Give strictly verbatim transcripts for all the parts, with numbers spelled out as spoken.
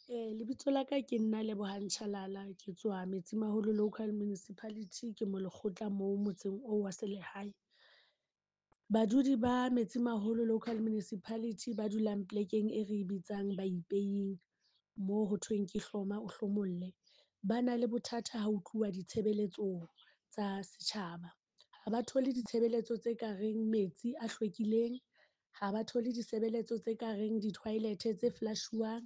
Lebitso la ka ke nna Lebohang Chalala ke tswa Metsimaholo Local Municipality. Ke molekgotla moo motseng oo wa selehae. Badudi ba Metsimaholo Local Municipality ba dulang plekeng e re bitsang Baipeing, mo ho thweng ke hloma o hlomolle. Ba na le bothata ha ho tluwa ditshebeletsong tsa setjhaba. Ha ba thole ditshebeletso tse ka reng metsi a hlwekileng, ha ba thole ditshebeletso tse ka reng di-toilet tse flush-uwang,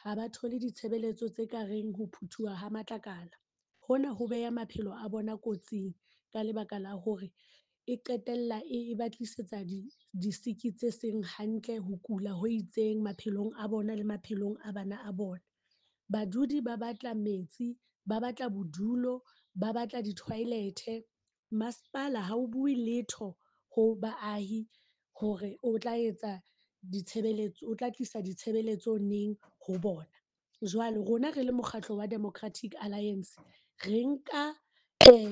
ha ba thole ditshebeletso tse ka reng ho phuthuwa ha matlakala. Hona ho beha maphelo a bona kotsing ka lebaka la hore e qetella e ba tlisetsa di di-sick tse seng hantle, ho kula ho itseng maphelong a bona le maphelong a bana a bona. Badudi ba batla metsi, ba batla bodulo, ba batla di-toilet. Masepala ha o bue letho ho baahi hore o tla etsa ditshebeletso, o tla tlisa ditshebeletso neng ho bona. Jwale rona re le mokgatlo wa Democratic Alliance, re nka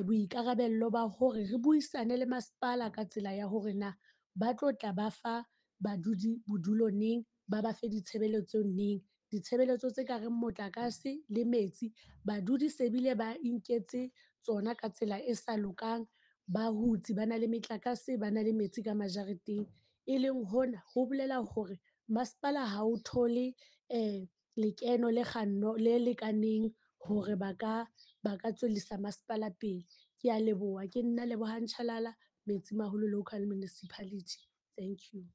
boikarabelo ba hore re buisane le masepala ka tsela ya hore na ba tlo tla ba fa badudi bodulo neng, ba ba fe ditshebeletso neng. Ditshebeletso tse kareng motlakase le metsi, badudi se bile ba inketse tsona ka tsela e sa lokang. Ba hutse, ba na le metlakase, ba na le metsi ka majareteng. E leng hona ho bolela hore masepala ha o thole lekeno le kganno le lekaneng hore ba ka ba ka tswellisa masepala pele. Kea leboha ke nna Lebohang Chalala, Metsimaholo Local Municipality. Thank you.